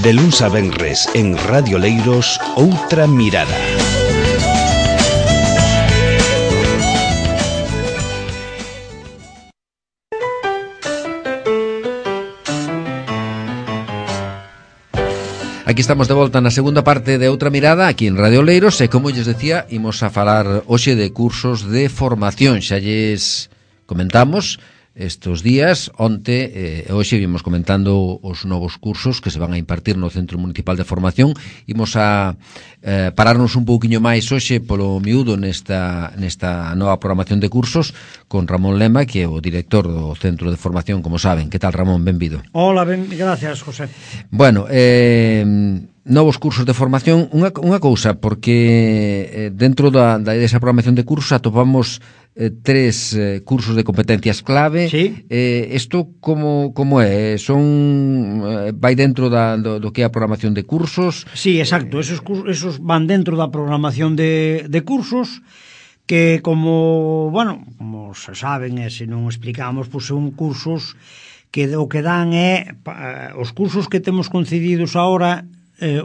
De luns a venres en Radio Leiros, Outra Mirada. Aquí estamos de volta na segunda parte de Outra Mirada, aquí en Radio Leiros, e como lles decía, imos a falar hoxe de cursos de formación. Xa lles comentamos estes días, onte e hoxe vimos comentando os novos cursos que se van a impartir no Centro Municipal de Formación. Imos a pararnos un pouquiño máis hoxe polo miúdo nesta nova programación de cursos con Ramón Lema, que é o director do Centro de Formación, como saben. Que tal, Ramón? Benvido. Hola, gracias, José. Bueno, novos cursos de formación, unha cousa, porque dentro desa programación de cursos atopamos tres cursos de competencias clave. Sí. Isto como é? Vai dentro do que é a programación de cursos? Sí, exacto, esos van dentro da programación de cursos, que como se saben, e se non explicamos, pois son cursos que o que dan é os cursos que temos concedidos agora.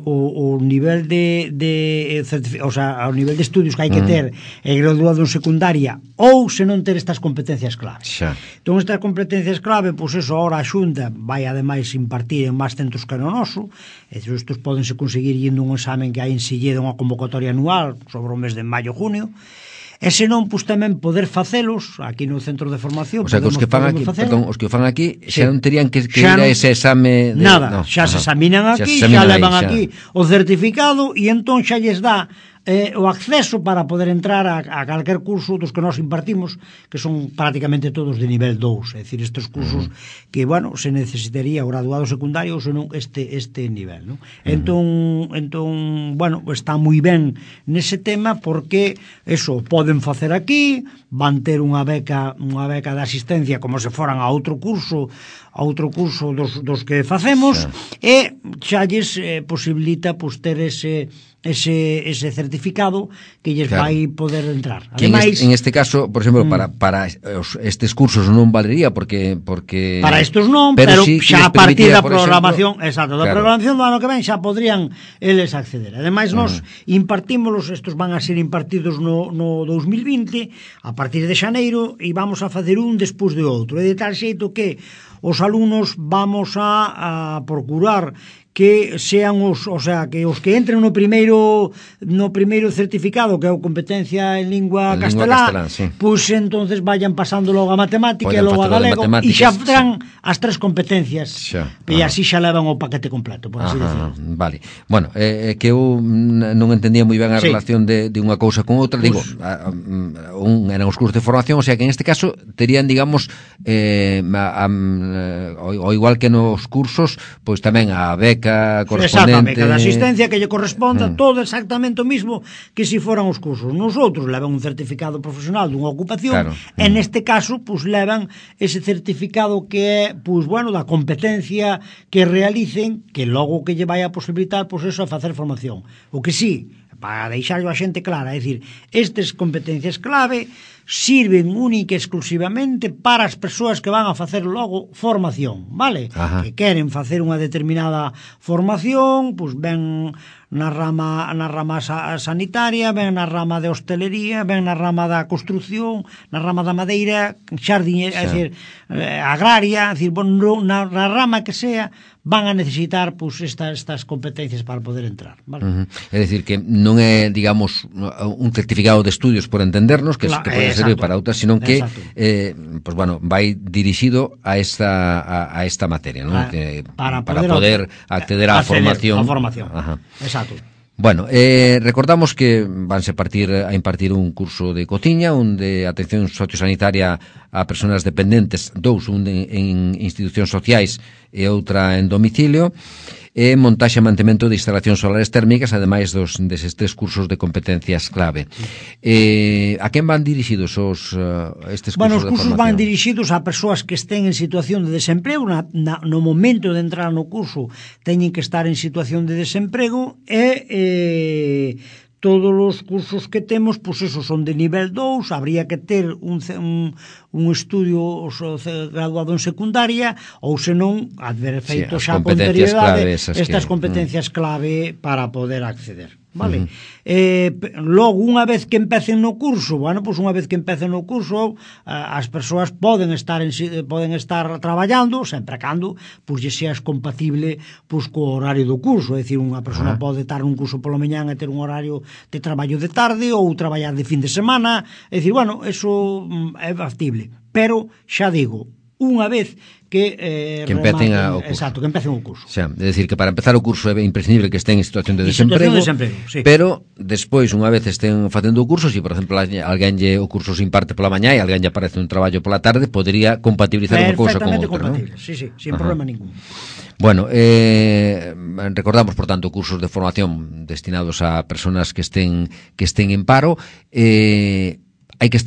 O nivel o sea, o nivel de estudios que hai que ter graduado en secundaria, ou se non ter estas competencias clave. Xa. Entón, estas competencias clave, pois eso, ahora a Xunta vai ademais impartir en máis centros que no noso. Estes pódense conseguir indo un examen que hai en Silleda, unha convocatoria anual sobre o mes de maio-junio. E se non, pois tamén poder facelos aquí no centro de formación. O sea, que os que fan aquí, os que fan aquí xa non terían que ir a ese exame de... Nada, xa se examinan aquí, xa levan aquí o certificado, e entón xa lles dá o acceso para poder entrar a calquer curso dos que nós impartimos, que son prácticamente todos de nivel 2, é dicir, estes cursos que, se necesitaría o graduado secundario ou senón este nivel, non? Entón, está moi ben nese tema, porque eso poden facer aquí, van ter unha beca de asistencia como se foran a outro curso dos que facemos, e xa lles posibilita ter ese certificado que lles vai poder entrar. Ademais, en este caso, por exemplo, para estes cursos non valería, porque para estes non, pero xa a partir da programación, exacto, da programación do ano que ven xa podrían eles acceder. Ademais, nós impartímolos, estes van a ser impartidos no 2020, a partir de xaneiro, e vamos a facer un despois de outro, e de tal xeito que os alumnos vamos a procurar que sean que os que entren no primeiro certificado, que é a competencia en lingua castelá, pois entonces vayan pasando logo a matemática e logo a galego, e xa terán as tres competencias, e así xa levan o paquete completo, por así decirlo. Vale. Bueno, que eu non entendía moi ben a relación de unha cousa con outra. Digo, eran os cursos de formación, o sea que en este caso terían, digamos, o igual que nos cursos, pois tamén a beca correspondente. Exactamente, cada asistencia que lle corresponda, todo exactamente o mismo que se foran os cursos. Nosotros levan un certificado profesional dunha ocupación, e neste caso, pois levan ese certificado que é, da competencia que realicen, que logo que lle vai a posibilitar, pois eso, a facer formación. O que sí, para deixarlo a xente clara, é dicir, estas competencias clave sirven única e exclusivamente para as persoas que van a facer logo formación, vale? Que queren facer unha determinada formación, pois ven na rama sanitaria, ven na rama de hostelería, ven na rama da construción, na rama da madeira, xardiñeira, é dicir, agraria, é dicir, na rama que sea, van a necesitar estas competencias para poder entrar, vale? É dicir, que non é, digamos, un certificado de estudios, por entendernos, que pode servir para outras, sino que vai dirixido a esta materia, non? Para poder acceder á formación. Exacto. Bueno, recordamos que vanse a impartir un curso de cociña, un de atención sociosanitaria a persoas dependentes, un en institucións sociais e outra en domicilio, e montaxe e mantemento de instalacións solares térmicas, ademais deses tres cursos de competencias clave. A quen van dirixidos estes cursos de formación? Os cursos van dirixidos a persoas que estén en situación de desemprego, no momento de entrar no curso teñen que estar en situación de desemprego, e todos os cursos que temos, pois esos son de nivel 2, habría que ter un estudio graduado en secundaria, ou senón, haber feito xa con anterioridade estas competencias clave para poder acceder. Vale? Logo, unha vez que empecen no curso, bueno, pois unha vez que empecen no curso, as persoas poden estar traballando, sempre cando pois lle seas compatible pois co horario do curso, é dicir, unha persona pode estar nun curso pola mañán e ter un horario de traballo de tarde ou traballar de fin de semana, é dicir, bueno, eso é factible, pero xa digo, unha vez que empecen o curso. Exacto, que empecen o curso. Xa, é dicir, que para empezar o curso é imprescindible que estén en situación de desemprego, sí. Pero despois, unha vez estén facendo o curso, se, por exemplo, alguén o curso se imparte pola mañá e alguén lle aparece un traballo pola tarde, podría compatibilizar unha cousa con outra, compatible, ¿no? Sí, sin problema ningún. Bueno, recordamos, por tanto, cursos de formación destinados a personas que estén en paro. Hai que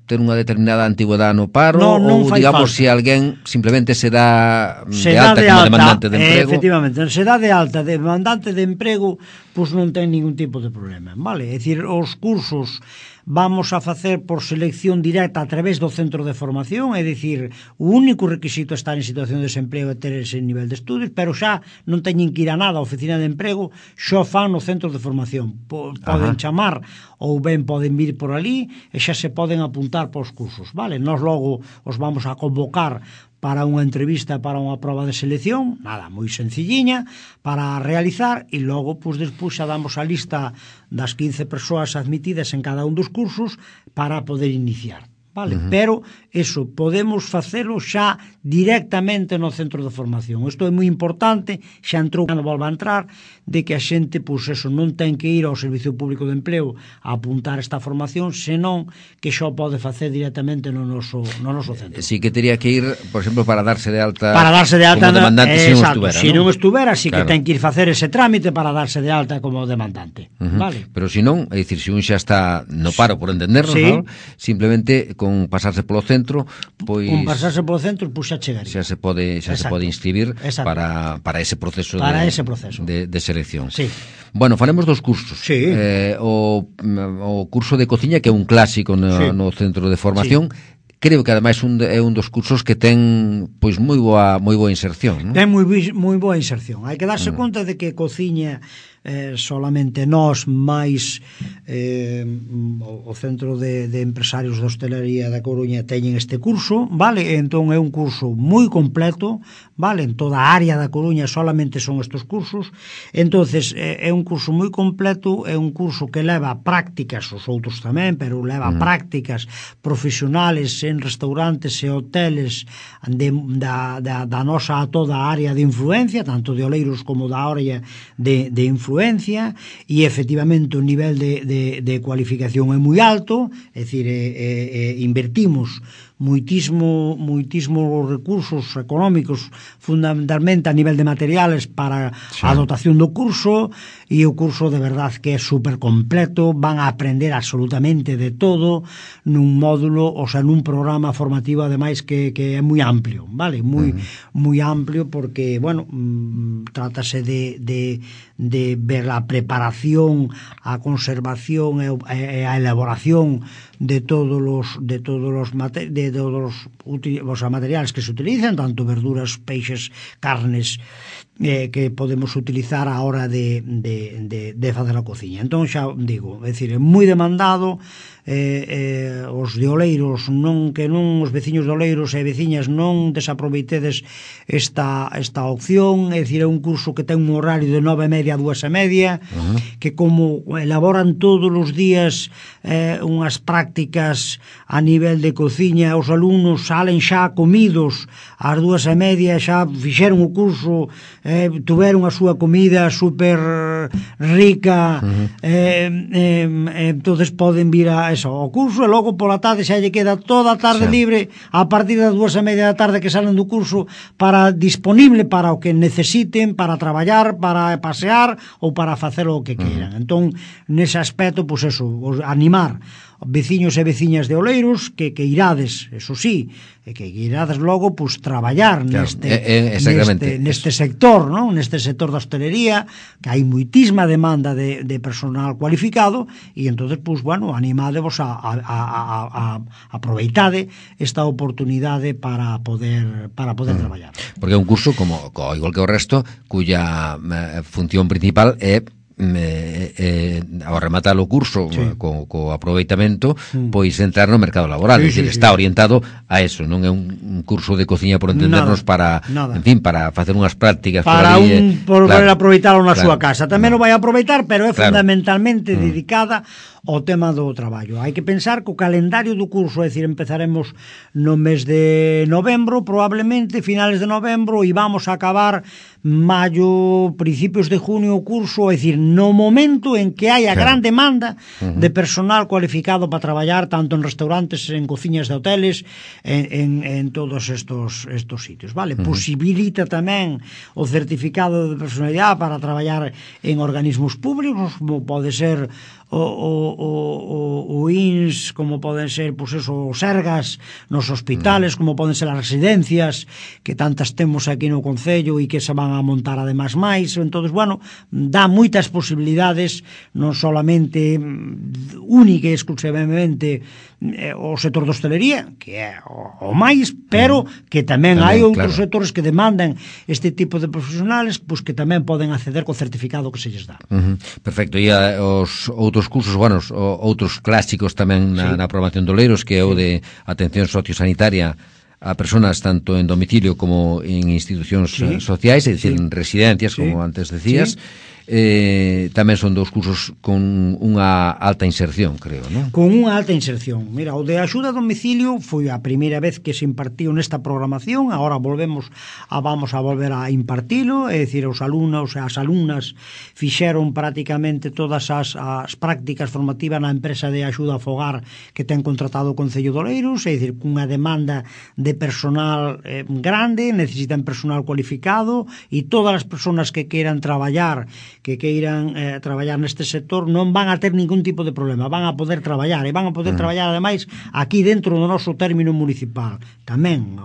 ter unha determinada antigüedade no paro, ou digamos, se alguén simplemente se dá de alta como demandante de emprego. Efectivamente, se dá de alta de demandante de emprego, pois non ten ningún tipo de problema, vale? É dicir, os cursos vamos a facer por selección directa a través do centro de formación, é dicir, o único requisito é estar en situación de desemprego e ter ese nivel de estudios, pero xa non teñen que ir a nada a oficina de emprego, xa fan no centro de formación. Poden chamar ou ben poden vir por ali e xa se poden apuntar para os cursos, vale? Nós logo os vamos a convocar para unha entrevista, para unha prova de selección, nada, moi sencilliña, para realizar, e logo, pois, despois xa damos a lista das 15 persoas admitidas en cada un dos cursos para poder iniciar, vale? Pero, eso, podemos facelo xa directamente no centro de formación. Isto é moi importante, xa entrou, non volva a entrar, de que a xente, pois, eso, non ten que ir ao Servicio Público de Empleo a apuntar esta formación, senón que xa pode facer directamente no noso centro. Si que teria que ir, por exemplo, para darse de alta como demandante, se non estuvera, si que ten que ir facer ese trámite para darse de alta como demandante, vale? Pero se non, é dicir, se un xa está no paro, por entendernos, ¿no? Simplemente con pasarse polo centro, pois con pasarse polo centro, pois xa chegaría. Xa se pode inscribir para ese proceso de selección. Sí. Bueno, faremos dos cursos. Sí. O curso de cociña, que é un clásico no centro de formación. Sí. Creo que ademais é un dos cursos que ten pois moi boa inserción, ¿no? Ten moi boa inserción. Hai que darse conta de que cociña solamente nós máis o Centro de Empresarios de Hostelería da Coruña teñen este curso, vale? Entón é un curso moi completo, vale? En toda a área da Coruña solamente son estes cursos. Entonces é un curso moi completo, é un curso que leva prácticas, os outros tamén, pero leva prácticas profesionales en restaurantes e hoteles da nosa toda a área de influencia, tanto de Oleiros como da área de influencia, e efectivamente o nivel de cualificación é moi alto, é dicir, invertimos moitísimo recursos económicos, fundamentalmente a nivel de materiales para a dotación do curso, e o curso de verdad que é super completo, van a aprender absolutamente de todo nun módulo, o sea, nun programa formativo ademais que é moi amplio, vale? Moi amplio, porque, bueno, trátase de ver a preparación, a conservación e a elaboración de todos os materiales que se utilizan, tanto verduras, peixes, carnes, que podemos utilizar a hora de facer a cociña. Entón, xa digo, é dicir, é moi demandado. Os de Oleiros, os veciños de Oleiros e veciñas non desaproveitedes esta opción, é dicir, é un curso que ten un horario de 9:30 a 2:30, que como elaboran todos os días unhas prácticas a nivel de cociña, os alumnos salen xa comidos ás 2:30, xa fixeron o curso, tuveron a súa comida super rica, entonces poden vir ao curso, e logo pola tarde xa lle queda toda a tarde libre a partir das 2:30 da tarde que salen do curso disponible para o que necesiten, para traballar, para pasear ou para facer o que queiran. Entón, nese aspecto, pois eso, animar veciños e veciñas de Oleiros que irades, eso sí, que irades logo pues traballar neste sector, non? Neste sector da hostelería, que hai moitísima demanda de personal cualificado, e entonces pues bueno, animádevos a aproveitade esta oportunidade para poder traballar. Porque é un curso como igual que o resto, cuya función principal é ao rematar o curso co aproveitamento, pois entrar no mercado laboral, é dicir, está orientado a eso, non é un curso de cociña por entendernos para, en fin, para facer unhas prácticas para poder aproveitalo na súa casa. Tamén o vai aproveitar, pero é fundamentalmente dedicada ao tema do traballo. Hai que pensar que o calendario do curso, é dicir, empezaremos no mes de novembro, probablemente finales de novembro, e vamos a acabar maio, principios de junio o curso, é dicir, no momento en que hai a gran demanda de personal cualificado para traballar tanto en restaurantes, en cociñas de hoteles, en todos estos sitios, vale? Posibilita tamén o certificado de personalidade para traballar en organismos públicos, como pode ser o INS, como poden ser pues eso, os Sergas nos hospitales, como poden ser as residencias que tantas temos aquí no Concello e que se van a montar ademais máis. Entonces, bueno, dá moitas posibilidades, non solamente única e exclusivamente o sector da hostelería, que é o máis, pero que tamén hai outros sectores que demandan este tipo de profesionales, pues que tamén poden acceder co certificado que se lles dá. Perfecto. E os outros cursos, bueno, outros clásicos tamén na programación de Oleiros, que é o de atención sociosanitaria a personas tanto en domicilio como en institucións sociais, é dicir, en residencias, como antes decías. Tamén son dos cursos con unha alta inserción, creo, non? Con unha alta inserción. Mira, o de axuda a domicilio foi a primeira vez que se impartiu nesta programación, agora vamos a volver a impartilo, é dicir, os alumnos e as alumnas fixeron prácticamente todas as prácticas formativas na empresa de axuda a fogar que ten contratado o Concello de Oleiros, é dicir, cunha demanda de personal grande, necesitan personal cualificado, e todas as persoas que queiran traballar neste sector non van a ter ningún tipo de problema, van a poder traballar e van a poder traballar ademais aquí dentro do noso término municipal. Tamén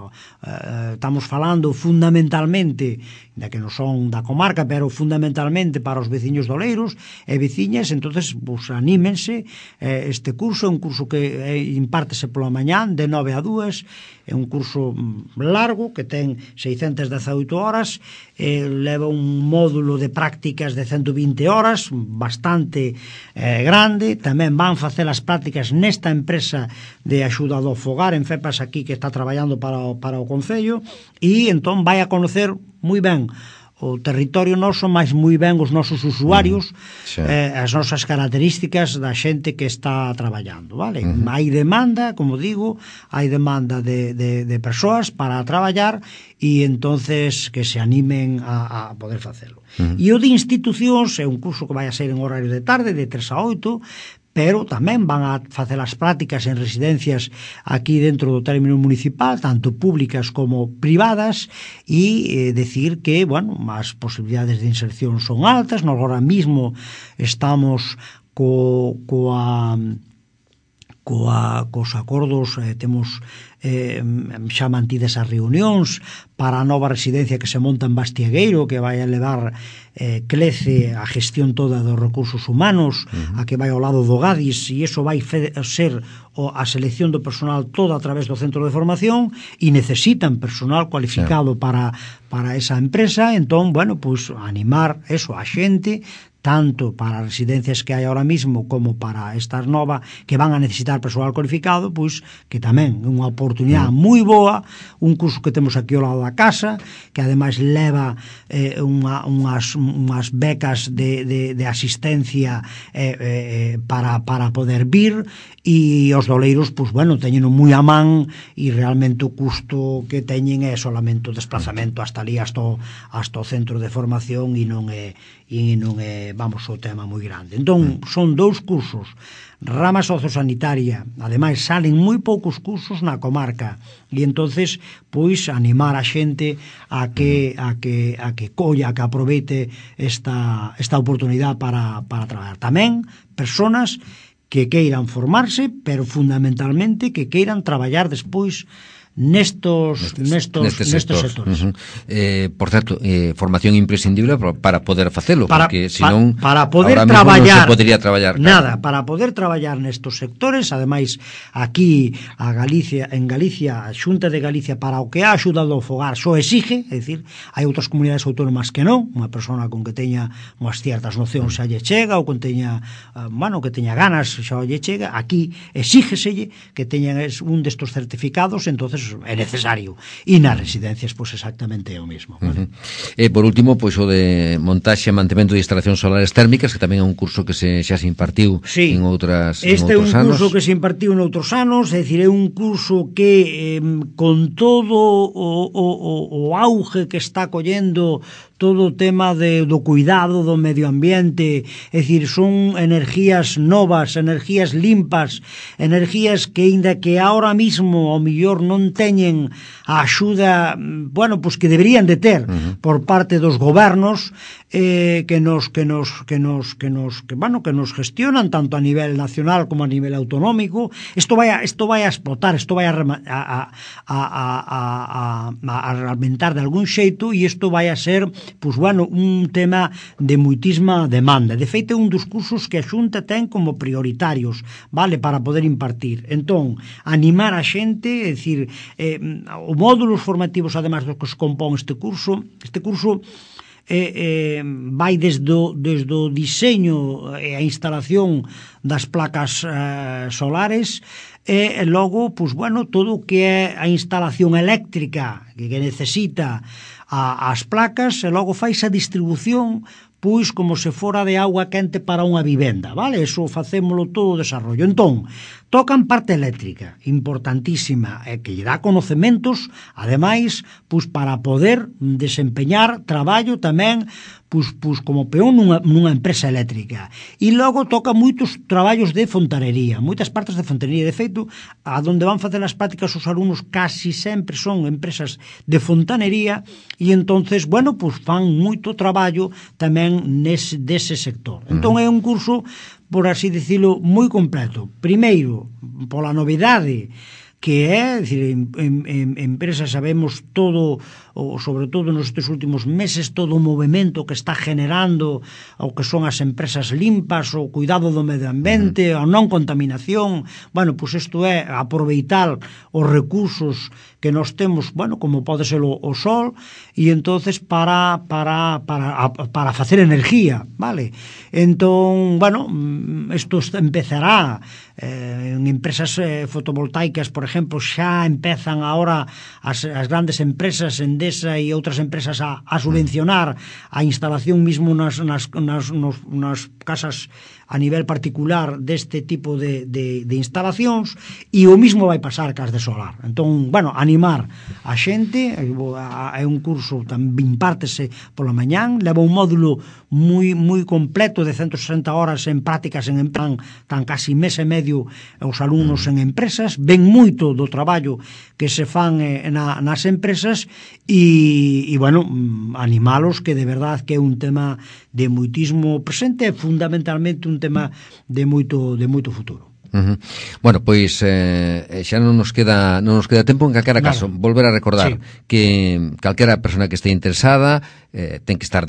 estamos falando fundamentalmente da que non son da comarca, pero fundamentalmente para os veciños de Oleiros e veciñas. Entonces, pues, anímense. Este curso é un curso que impártese pola mañán de 9 a 2, é un curso largo que ten 618 horas, leva un módulo de prácticas de 120 horas, bastante grande. Tamén van facer as prácticas nesta empresa de axuda do fogar en FEPAS aquí, que está traballando para o Concello, e entón vai a conocer moi ben o territorio noso, máis moi ben os nosos usuarios, as nosas características da xente que está traballando, vale? Hai demanda, como digo, hai demanda de persoas para traballar, e entonces que se animen a poder facelo. E o de institucións é un curso que vai a ser en horario de tarde, de 3 a 8, pero tamén van a facer as prácticas en residencias aquí dentro do término municipal, tanto públicas como privadas, e decir que, bueno, as posibilidades de inserción son altas. Nós agora mismo estamos cos acordos, temos xa mantidas as reunións para a nova residencia que se monta en Bastiegueiro, que vai a levar Clece a gestión toda dos recursos humanos, a que vai ao lado do Gadis, e iso vai ser a selección do personal toda a través do centro de formación, e necesitan personal cualificado para esa empresa. Entón, bueno, pues animar eso a xente, tanto para as residencias que hai ahora mismo como para estas novas que van a necesitar personal cualificado, pois que tamén é unha oportunidade moi boa, un curso que temos aquí ao lado da casa, que ademais leva unhas becas de asistencia para poder vir, e os doleiros, pois bueno, teñen moi a man, e realmente o custo que teñen é solamente o desplazamento hasta ali, hasta o centro de formación, e non é vamos, o tema moi grande. Entón, son 2 cursos, rama sociosanitaria, ademais salen moi poucos cursos na comarca, e entonces, pois, animar a xente a que colla, que aproveite esta oportunidade para traballar. Tamén, personas que queiran formarse, pero fundamentalmente que queiran traballar despois nestos sectores. Por certo, formación imprescindible para poder facelo, porque senón para poder traballar non se podería traballar. Nada, para poder traballar nestos sectores, ademais aquí en Galicia, a Xunta de Galicia para o que ha axudado ao fogar só exige, é dicir, hai outras comunidades autónomas que non, unha persona con que teña unhas ciertas nocións xa lle chega, ou con teña, que teña ganas xa lle chega, aquí exígeselle que teñan un destos certificados, entonces é necesario. E nas residencias, pois exactamente é o mesmo. E por último, pois o de montaxe e mantemento de instalacións solares térmicas, que tamén é un curso que xa se impartiu en outros anos. Este é un curso que se impartiu noutros anos, é dicir, é un curso que con todo o auge que está collendo todo o tema do cuidado do medio ambiente, é dicir, son energías novas, energías limpas, energías que, aínda que ahora mismo ao mellor non teñen a axuda, pois que deberían de ter por parte dos gobernos, que nos gestionan tanto a nivel nacional como a nivel autonómico. Isto vai a explotar, isto vai a aumentar de algún xeito, e isto vai a ser un tema de moitísima demanda. De feito, é un dos cursos que a Xunta ten como prioritarios, vale, para poder impartir. Entón, animar a xente, é dicir, o módulos formativos, además do que se compón este curso vai desde o diseño e a instalación das placas solares, e logo, todo o que é a instalación eléctrica que necesita as placas, e logo fai a distribución pois como se fora de auga quente para unha vivenda, vale? Eso facémolo todo o desarrollo. Entón, tocan parte eléctrica, importantísima, e que lle dá conocementos, ademais, pois para poder desempeñar traballo tamén, pois como peón nunha empresa eléctrica. E logo toca moitos traballos de fontanería, moitas partes de fontanería. De feito, a donde van facer as prácticas os alumnos casi sempre son empresas de fontanería, e entonces, fan moito traballo tamén dese sector. Entón é un curso, por así dicilo, moi completo. Primeiro, pola novidade que é, dicir, en empresas sabemos todo, sobre todo nestes últimos meses, todo o movimento que está generando o que son as empresas limpas, o cuidado do medio ambiente, a non contaminación. Pois isto é aproveitar os recursos que nos temos, como pode ser o sol, e entonces para facer energía, vale? Entón, isto empezará en empresas fotovoltaicas, por exemplo, xa empezan agora as grandes empresas, Endesa e outras empresas a subvencionar a instalación mismo nas casas a nivel particular deste tipo de instalacións, e o mismo vai pasar cas de solar. Entón, animar a xente, é un curso tamén impártese pola mañán, leva un módulo moi completo de 160 horas en prácticas tan casi mes e medio os alumnos en empresas, ven moito do traballo que se fan nas empresas, e animalos, que de verdad que é un tema de moitísimo presente, e fundamentalmente un tema de moito futuro. Pois xa non nos queda tempo. En calquera caso, volver a recordar que calquera persona que este interesada ten que estar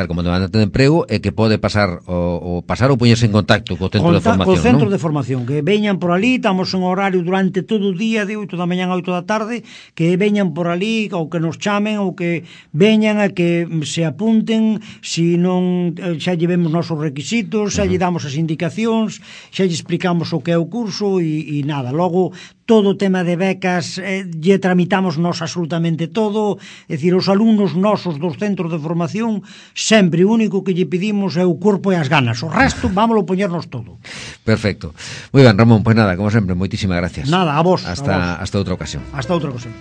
como demandante de emprego, e que pode pasar ou poñerse en contacto co centro de formación, co centro de formación, que veñan por ali. Estamos en horario durante todo o día, de 8 da mañá a 8 da tarde, que veñan por ali, ou que nos chamen, ou que veñan a que se apunten. Se non, xa llevemos nosos requisitos, xa lle damos as indicacións, xa lle explicamos o que é o curso, e nada, logo todo o tema de becas lle tramitamos nós absolutamente todo. É dicir, os alumnos nosos dos centros de formación, sempre o único que lle pedimos é o corpo e as ganas, o resto vámoslo poñernos todo. Perfecto. Moi ben, Ramón, pois nada, como sempre, moitísimas gracias. Nada, a vos. Hasta outra ocasión. Hasta outra ocasión.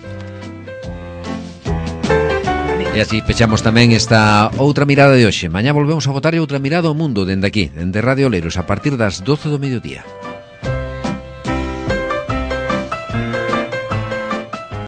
E así pechamos tamén esta outra mirada de hoxe. Mañá volvemos a botar outra mirada ao mundo dende aquí, dende Radio Oleiros, a partir das 12 do mediodía.